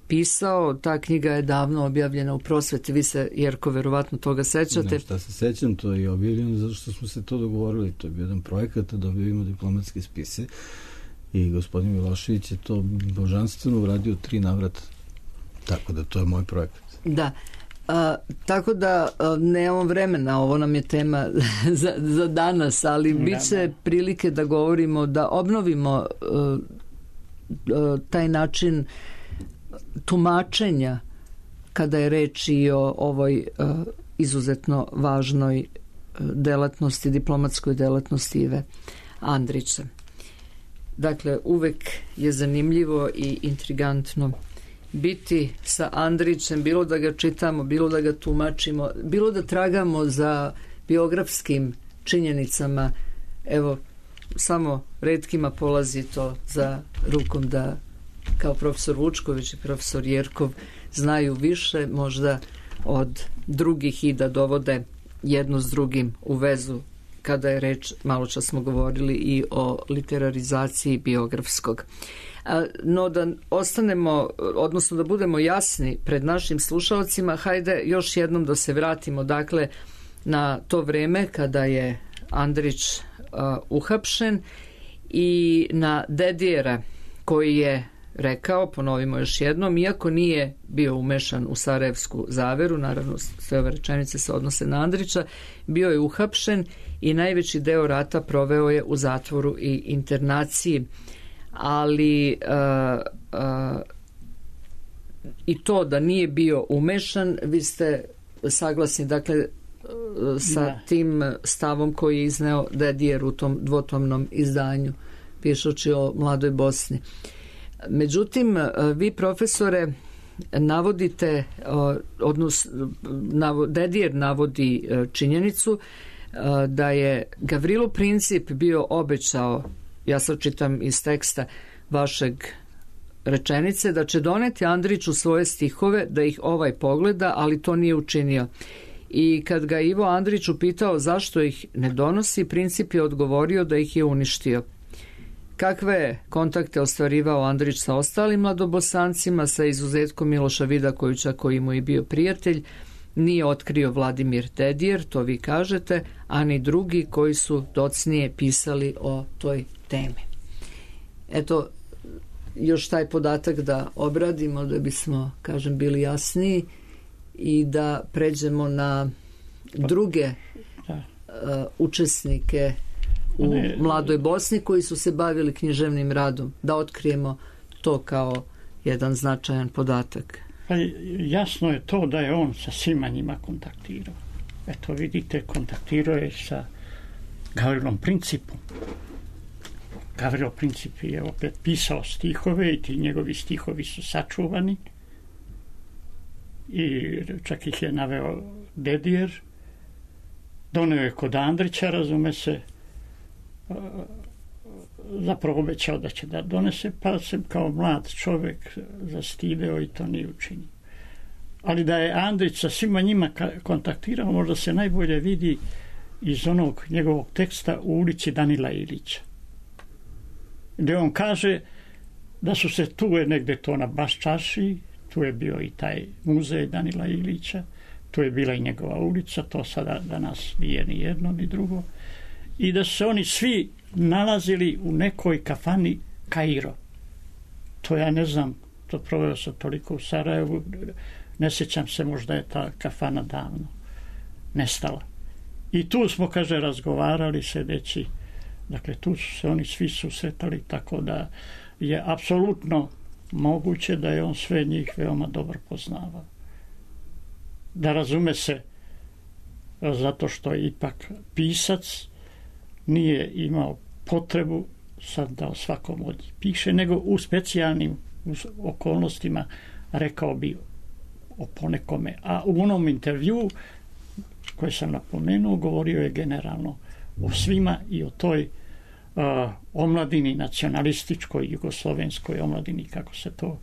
pisao. Ta knjiga je davno objavljena u Prosveti. Vi se, Jerko, verovatno toga sećate. Ne, šta se sećam, to je objavljeno zato što smo se to dogovorili. To je bio jedan projekat da objavimo diplomatske spise i gospodin Milošević je to božanstveno uradio tri navrata. Tako da to je moj projekat. Da. A, tako da a, nemamo vremena, ovo nam je tema za, za danas, ali da, bit će da. prilike da govorimo, da obnovimo a, a, taj način tumačenja kada je reč i o ovoj a, izuzetno važnoj delatnosti, diplomatskoj delatnosti Ive Andrića. Dakle, uvek je zanimljivo i intrigantno biti sa Andrićem, bilo da ga čitamo, bilo da ga tumačimo, bilo da tragamo za biografskim činjenicama. Evo, samo retkima polazi to za rukom da kao profesor Vučković i profesor Jerkov znaju više možda od drugih i da dovode jedno s drugim u vezu kada je reč, malo čas smo govorili i o literarizaciji biografskog. No da ostanemo, odnosno da budemo jasni pred našim slušalcima, hajde još jednom da se vratimo dakle na to vreme kada je Andrić uh, uhapšen i na Dedijera koji je rekao, ponovimo još jednom, iako nije bio umešan u Sarajevsku zaveru, naravno sve ove rečenice se odnose na Andrića, bio je uhapšen i najveći deo rata proveo je u zatvoru i internaciji. Ali uh, uh, i to da nije bio umešan, vi ste saglasni dakle uh, sa da. tim stavom koji je izneo Dedijer u tom dvotomnom izdanju pišući o mladoj Bosni. Međutim, uh, vi profesore navodite uh, odnosno navod, Dedijer navodi uh, činjenicu uh, da je Gavrilo Princip bio obećao, ja sad čitam iz teksta vašeg rečenice, da će doneti Andriću svoje stihove, da ih ovaj pogleda, ali to nije učinio. I kad ga Ivo Andrić upitao zašto ih ne donosi, Princip je odgovorio da ih je uništio. Kakve je kontakte ostvarivao Andrić sa ostalim mladobosancima, sa izuzetkom Miloša Vidakovića koji mu je bio prijatelj, nije otkrio Vladimir Dedijer, to vi kažete, a ni drugi koji su docnije pisali o toj temi. Eto, još taj podatak da obradimo, da bismo, kažem, bili jasniji i da pređemo na druge uh, učesnike u mladoj Bosni koji su se bavili književnim radom, da otkrijemo to kao jedan značajan podatak. Pa jasno je to da je on sa svima njima kontaktirao. Eto, vidite, kontaktirao je sa Gavrilom Principom. Gavrilo Princip je opet pisao stihove i ti njegovi stihovi su sačuvani i čak ih je naveo Dedijer. Doneo je kod Andrića, razume se, zapravo obećao da će da donese, pa se kao mlad čovjek zastideo i to nije učinio. Ali da je Andrić sa svima njima kontaktirao, možda se najbolje vidi iz onog njegovog teksta U ulici Danila Ilića, gdje on kaže da su se, tu je negdje to na Baščaši, tu je bio i taj muzej Danila Ilića, tu je bila i njegova ulica, to sada danas nije ni jedno ni drugo, i da su se oni svi nalazili u nekoj kafani Kairo. To ja ne znam, to proveo sam toliko u Sarajevu, ne sjećam se, možda je ta kafana davno nestala. I tu smo, kaže, razgovarali sedeći, dakle tu su se oni svi susretali, tako da je apsolutno moguće da je on sve njih veoma dobro poznavao. Da razume se, zato što je ipak pisac, nije imao potrebu sad da o svakom od njih piše, nego u specijalnim okolnostima rekao bi o ponekome. A u onom intervju koje sam napomenuo, govorio je generalno o svima i o toj uh, omladini, nacionalističkoj, jugoslovenskoj omladini, kako se to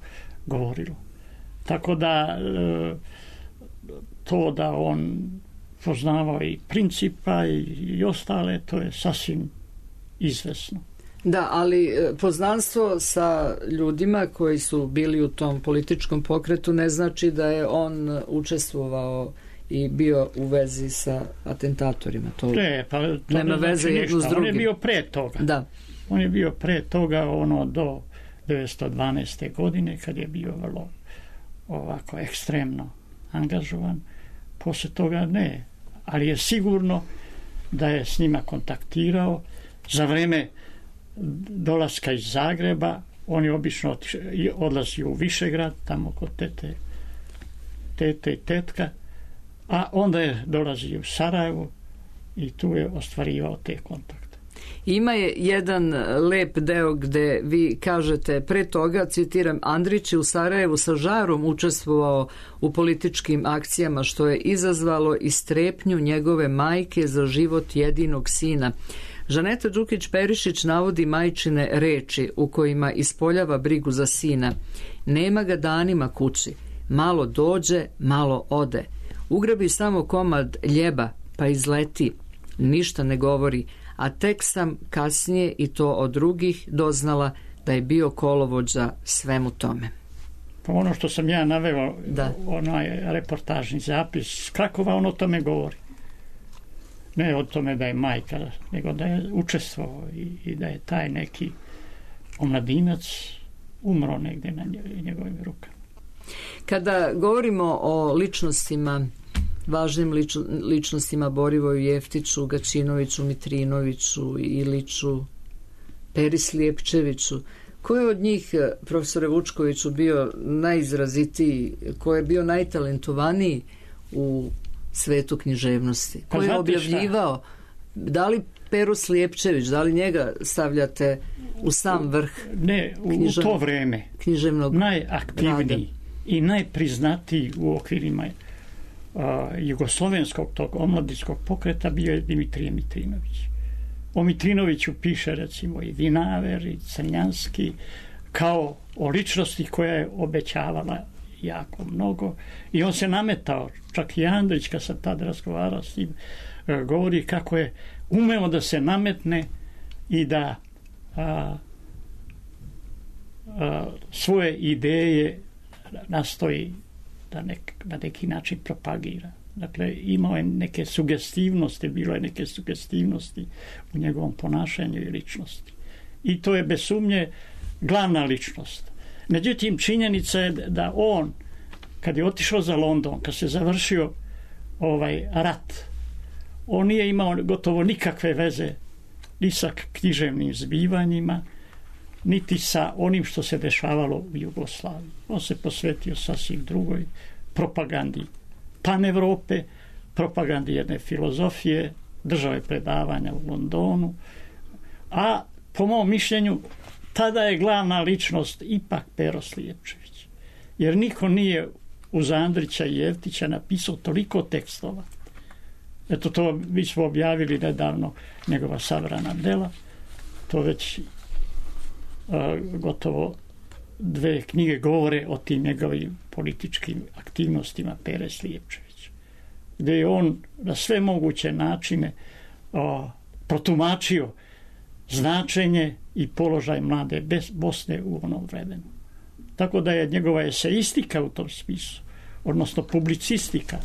govorilo. Tako da uh, to da on poznavao i Principa i, i ostale, to je sasvim izvesno. Da, ali poznanstvo sa ljudima koji su bili u tom političkom pokretu ne znači da je on učestvovao i bio u vezi sa atentatorima. To ne, pa to nema ne veze znači jedno s drugim. On je bio pre toga. Da. On je bio pre toga ono do devetsto dvanaeste. godine kad je bio vrlo ovako ekstremno angažovan. Posle toga ne. Ali je sigurno da je s njima kontaktirao za vreme dolaska iz Zagreba. On je obično odlazio u Višegrad, tamo kod tete, tete i tetka, a onda je dolazio u Sarajevo i tu je ostvarivao te kontakte. Ima je jedan lep deo gde vi kažete pre toga, citiram, Andrić je u Sarajevu sa žarom učestvovao u političkim akcijama što je izazvalo i strepnju njegove majke za život jedinog sina. Žaneta Đukić-Perišić navodi majčine reči u kojima ispoljava brigu za sina. Nema ga danima kući, malo dođe, malo ode. Ugrabi samo komad ljeba, pa izleti. Ništa ne govori, a tek sam kasnije i to od drugih doznala da je bio kolovođa svemu tome. Pa ono što sam ja naveo, da. Onaj reportažni zapis, Krakova, on o tome govori. Ne o tome da je majka, nego da je učestvovao i, i da je taj neki omladinac umro negde na njegovim rukama. Kada govorimo o ličnostima, važnim lič, ličnostima Borivoju Jeftiću, Gačinoviću, Mitrinoviću, Iliću, Peri Slijepčeviću, ko je od njih, profesore Vučkoviću, bio najizrazitiji, ko je bio najtalentovaniji u svetu književnosti? Ko je objavljivao? Da li Peru Slijepčević, da li njega stavljate u sam vrh? Ne, u, u to vreme najaktivniji rada i najpriznatiji u okvirima uh, jugoslovenskog tog omladinskog pokreta bio je Dimitrije Mitrinović. O Mitrinoviću piše recimo i Vinaver i Crnjanski kao o ličnosti koja je obećavala jako mnogo i on se nametao, čak i Andrić kad sam tad razgovarao s njim, govori kako je umeo da se nametne i da a, a, svoje ideje nastoji da nek, na neki način propagira. Dakle, imao je neke sugestivnosti, bilo je neke sugestivnosti u njegovom ponašanju i ličnosti. I to je bez sumnje glavna ličnost. Međutim, činjenica je da on, kad je otišao za London, kad se završio ovaj rat, on nije imao gotovo nikakve veze ni sa književnim zbivanjima, niti sa onim što se dešavalo u Jugoslaviji. On se posvetio sasvim drugoj propagandi Pan-Evrope, propagandi jedne filozofije, držao je predavanja u Londonu, a po mom mišljenju tada je glavna ličnost ipak Pero Slijepčević. Jer niko nije uz Andrića i Jeftića napisao toliko tekstova. Eto, to mi smo objavili nedavno njegova sabrana dela. To već a, gotovo dve knjige govore o tim njegovim političkim aktivnostima Pere Slijepčevića. Gde je on na sve moguće načine a, protumačio značenje i položaj mlade Bosne u onom vremenu. Tako da je njegova eseistika u tom smislu, odnosno publicistika,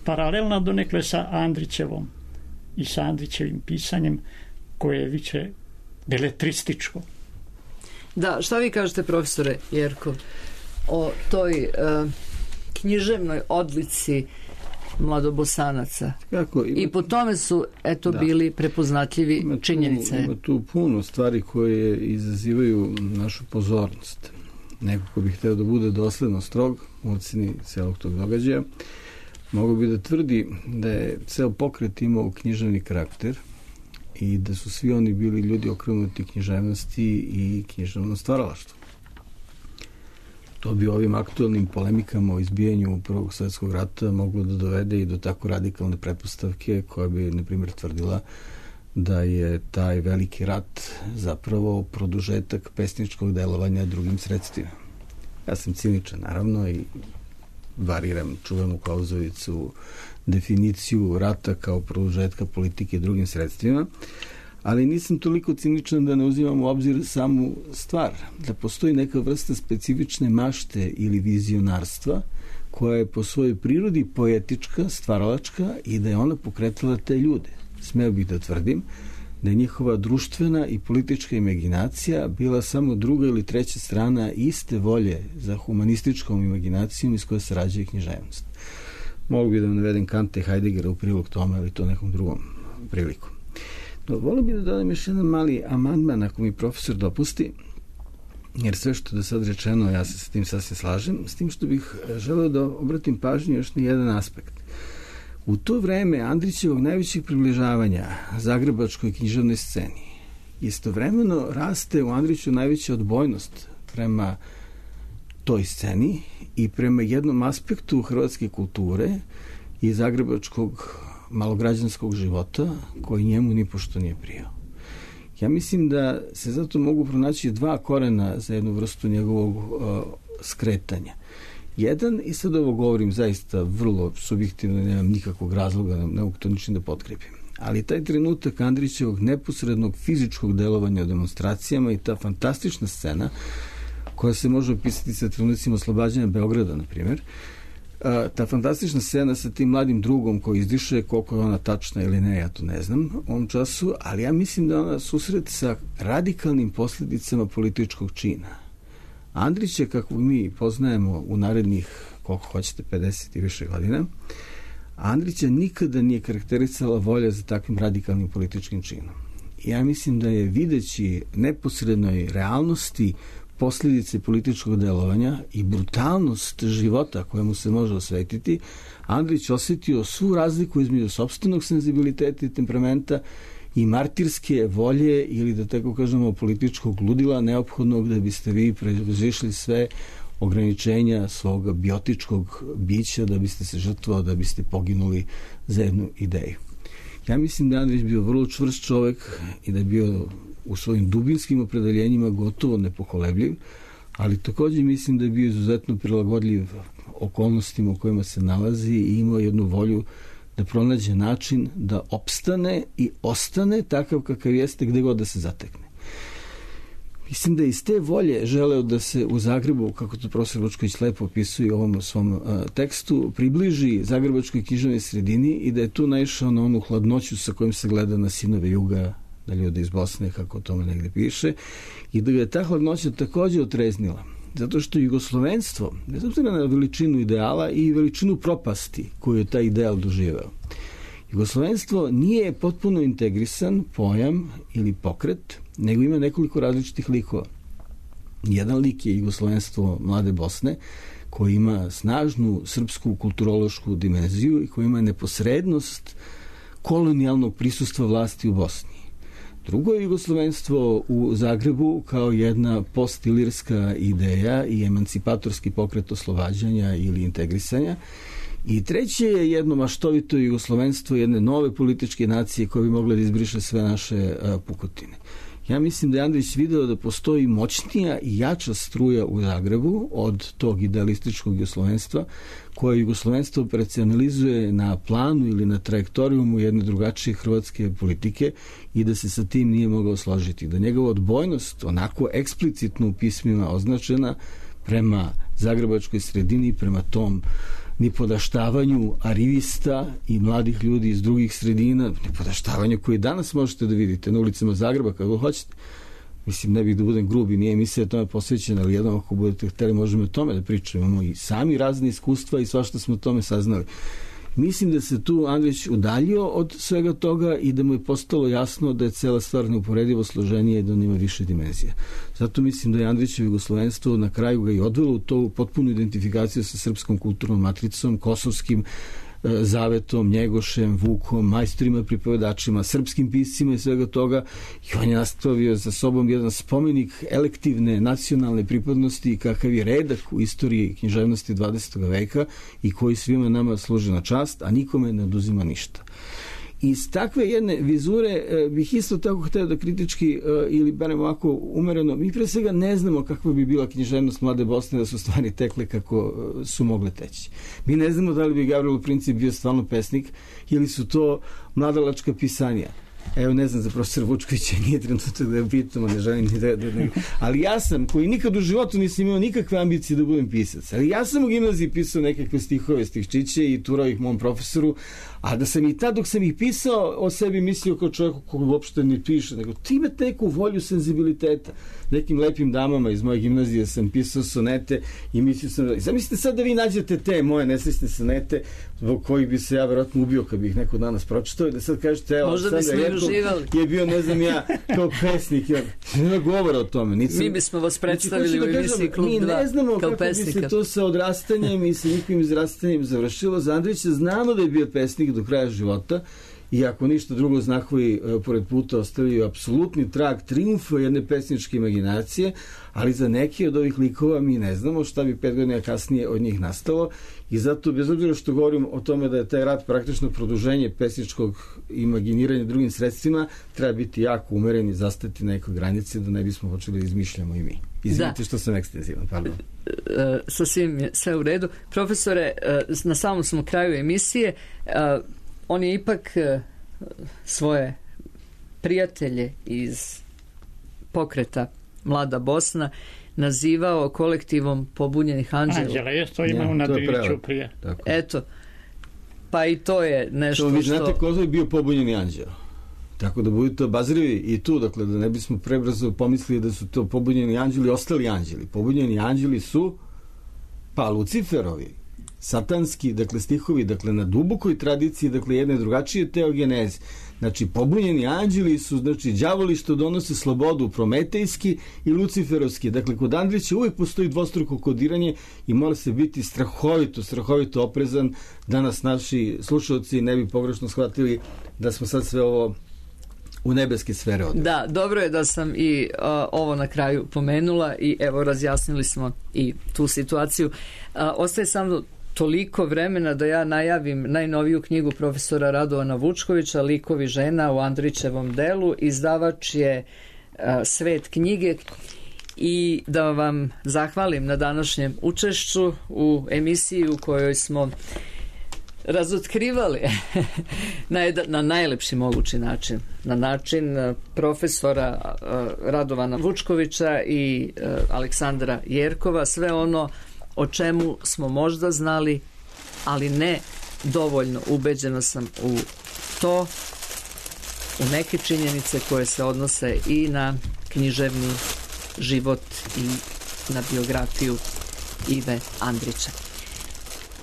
paralelna donekle sa Andrićevom i sa Andrićevim pisanjem koje je više beletrističko. Da, šta vi kažete, profesore Jerkov, o toj uh, književnoj odlici mladobosanaca? Kako, ima, i po tome su eto da, bili prepoznatljivi ima tu, činjenice. Ima tu puno stvari koje izazivaju našu pozornost. Neko ko bi hteo da bude dosledno strog u oceni celog tog događaja, mogu bi da tvrdi da je ceo pokret imao književni karakter i da su svi oni bili ljudi okrenuti književnosti i književnom stvaralaštvu. To bi ovim aktualnim polemikama o izbijanju Prvog svjetskog rata moglo da dovede i do tako radikalne pretpostavke koja bi, na primjer, tvrdila da je taj veliki rat zapravo produžetak pesničkog delovanja drugim sredstvima. Ja sam ciničan, naravno, i variram čuvenu Klauzovicu definiciju rata kao produžetka politike drugim sredstvima, ali nisam toliko ciničan da ne uzimam u obzir samu stvar, da postoji neka vrsta specifične mašte ili vizionarstva koja je po svojoj prirodi poetička, stvaralačka i da je ona pokretala te ljude. Smeo bih da tvrdim da je njihova društvena i politička imaginacija bila samo druga ili treća strana iste volje za humanističkom imaginacijom iz koje se rađa književnost. Mogu bi da vam navedem Kanta i Heideggera u prilog tome, ali to nekom drugom priliku. No, volio bih da dodam još jedan mali amandman, ako mi profesor dopusti, jer sve što je do sad rečeno, ja se s tim sasvim slažem, s tim što bih želeo da obratim pažnju još na jedan aspekt. U to vreme Andrićevog najvećeg približavanja zagrebačkoj književnoj sceni istovremeno raste u Andriću najveća odbojnost prema toj sceni i prema jednom aspektu hrvatske kulture i zagrebačkog malograđanskog života koji njemu nipošto nije prijao. Ja mislim da se zato mogu pronaći dva korena za jednu vrstu njegovog uh, skretanja. Jedan, i sad ovo govorim zaista vrlo subjektivno, nemam nikakvog razloga, ne mogu to ničim da potkrepim, ali taj trenutak Andrićevog neposrednog fizičkog delovanja u demonstracijama i ta fantastična scena koja se može opisati sa trenucima oslobađanja Beograda, na primjer, ta fantastična scena sa tim mladim drugom koji izdiše, koliko je ona tačna ili ne, ja to ne znam u ovom času, ali ja mislim da ona susret sa radikalnim posljedicama političkog čina. Andrić je, kako mi poznajemo u narednih, koliko hoćete, pedeset i više godina, Andrića nikada nije karakterisala volja za takvim radikalnim političkim činom. Ja mislim da je, videći neposrednoj realnosti posljedice političkog delovanja i brutalnost života kojemu se može osvetiti, Andrić osjetio svu razliku između sopstvenog senzibiliteta i temperamenta i martirske volje ili, da tako kažemo, političkog ludila neophodnog da biste vi prevazišli sve ograničenja svog biotičkog bića, da biste se žrtvovali, da biste poginuli za jednu ideju. Ja mislim da je Andrić bio vrlo čvrst čovjek i da je bio u svojim dubinskim opredeljenjima gotovo nepokolebljiv, ali također mislim da je bio izuzetno prilagodljiv okolnostima u kojima se nalazi i imao jednu volju da pronađe način da opstane i ostane takav kakav jeste gde god da se zatekne. Mislim da iz te volje želeo da se u Zagrebu, kako to profesor Lučković lepo opisuje u ovom svom uh, tekstu, približi zagrebačkoj književnoj sredini i da je tu naišao na onu hladnoću sa kojom se gleda na sinove juga, da ljude iz Bosne, kako o tome negde piše, i da ga je ta hladnoća također otreznila. Zato što jugoslovenstvo, bez obzira na veličinu ideala i veličinu propasti koju je taj ideal doživeo, jugoslovenstvo nije potpuno integrisan pojam ili pokret, nego ima nekoliko različitih likova. Jedan lik je jugoslovenstvo mlade Bosne, koji ima snažnu srpsku kulturološku dimenziju i koji ima neposrednost kolonijalnog prisustva vlasti u Bosni. Drugo je jugoslovenstvo u Zagrebu kao jedna postilirska ideja i emancipatorski pokret oslobađanja ili integrisanja. I treće je jedno maštovito jugoslovenstvo jedne nove političke nacije koje bi mogle da izbriše sve naše a, pukotine. Ja mislim da je Andrić video da postoji moćnija i jača struja u Zagrebu od tog idealističkog jugoslovenstva koje jugoslovenstvo operacionalizuje na planu ili na trajektorijumu jedne drugačije hrvatske politike i da se sa tim nije mogao složiti. Da njegova odbojnost, onako eksplicitno u pismima označena prema zagrebačkoj sredini, prema tom nipodaštavanju arivista i mladih ljudi iz drugih sredina, nipodaštavanju koje danas možete da vidite na ulicama Zagreba kako hoćete. Mislim, ne bih da budem grubi, nije emisija tome posvećena, ali jednom ako budete hteli možemo o tome da pričamo. Imamo i sami razne iskustva i svašta smo o tome saznali. Mislim da se tu Andrić udaljio od svega toga i da mu je postalo jasno da je cela stvar neuporedivo složenija i da on ima više dimenzija. Zato mislim da je Andrićevo jugoslovenstvo na kraju ga i odvelo u to potpunu identifikaciju sa srpskom kulturnom matricom, kosovskim Zavetom, Njegošem, Vukom, majstorima, pripovedačima, srpskim piscima i svega toga, i on je nastavio za sobom jedan spomenik elektivne nacionalne pripadnosti kakav je redak u istoriji književnosti dvadesetog veka i koji svima nama služi na čast, a nikome ne oduzima ništa. Iz takve jedne vizure e, bih isto tako hteo da kritički e, ili barem ovako umereno, mi pre svega ne znamo kakva bi bila književnost Mlade Bosne da su stvari tekle kako e, su mogle teći. Mi ne znamo da li bi Gavrilo Princip bio stvarno pesnik ili su to mladalačka pisanja. Evo, ne znam za profesora Vučkovića, nije trenutak da je pitamo, ne želim ni da, da, da... Ali ja sam, koji nikad u životu nisam imao nikakve ambicije da budem pisac, ali ja sam u gimnaziji pisao nekakve stihove, stihčiće i turao ih mom profesoru, a da sam i tad dok sam ih pisao o sebi mislio kao čovjeku koji uopšte ne piše, nego ti imate neku volju senzibiliteta. Nekim lepim damama iz moje gimnazije sam pisao sonete i mislio sam da... Zamislite sad da vi nađete te moje nesrećne sonete zbog kojih bi se ja verovatno ubio kad bi ih neko danas pročitao i da sad kažete, evo, možda bismo i uživali. Je bio, ne znam ja, kao pesnik. Ja, nema govora o tome. Nisam, mi bismo vas predstavili znači, u emisiji Klub dva. Mi ne znamo kako pesnika. bi se to sa odrastanjem i sa njihovim izrastanjem završilo. Za Andrića znamo da je bio pesnik do kraja života i ako ništa drugo znakovi uh, pored puta ostavljaju apsolutni trag triumfa jedne pesničke imaginacije, ali za neke od ovih likova mi ne znamo šta bi pet godina kasnije od njih nastalo i zato, bez obzira što govorim o tome da je taj rad praktično produženje pesničkog imaginiranja drugim sredstvima, treba biti jako umeren i zastati na nekoj granici da ne bismo počeli da izmišljamo i mi. Izvinite što sam ekstenzivan, pardon. E, sa svim je sve u redu. Profesore, e, na samom smo kraju emisije, e, on je ipak e, svoje prijatelje iz pokreta Mlada Bosna nazivao kolektivom pobunjenih anđela. Anđela, jes to ima ja, u Nadriviću prije. Tako. Eto, pa i to je nešto to vi što... znate ko je bio pobunjeni anđel. Tako da budete obazrivi i tu, dakle, da ne bismo prebrzo pomislili da su to pobunjeni anđeli, ostali anđeli. Pobunjeni anđeli su pa Luciferovi, satanski, dakle, stihovi, dakle, na dubokoj tradiciji, dakle, jedne drugačije teogeneze. Znači, pobunjeni anđeli su, znači, đavoli što donose slobodu, prometejski i luciferovski. Dakle, kod Andrića uvijek postoji dvostruko kodiranje i mora se biti strahovito, strahovito oprezan da nas naši slušalci ne bi pogrešno shvatili da smo sad sve ovo u nebeske sfere odre. Da, dobro je da sam i uh, ovo na kraju pomenula i evo razjasnili smo i tu situaciju. Uh, ostaje samo toliko vremena da ja najavim najnoviju knjigu profesora Radovana Vučkovića, Likovi žena u Andrićevom delu. Izdavač je uh, Svet knjige i da vam zahvalim na današnjem učešću u emisiji u kojoj smo razotkrivali na, jedan, na najlepši mogući način, na način profesora uh, Radovana Vučkovića i uh, Aleksandra Jerkova, sve ono o čemu smo možda znali, ali ne dovoljno. Ubeđena sam u to, u neke činjenice koje se odnose i na književni život i na biografiju Ive Andrića.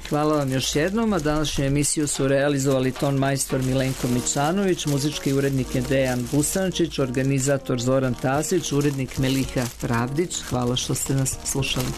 Hvala vam još jednom, a današnju emisiju su realizovali ton majstor Milenko Mičanović, muzički urednik je Dejan Busančić, organizator Zoran Tasić, urednik Meliha Pravdić. Hvala što ste nas slušali.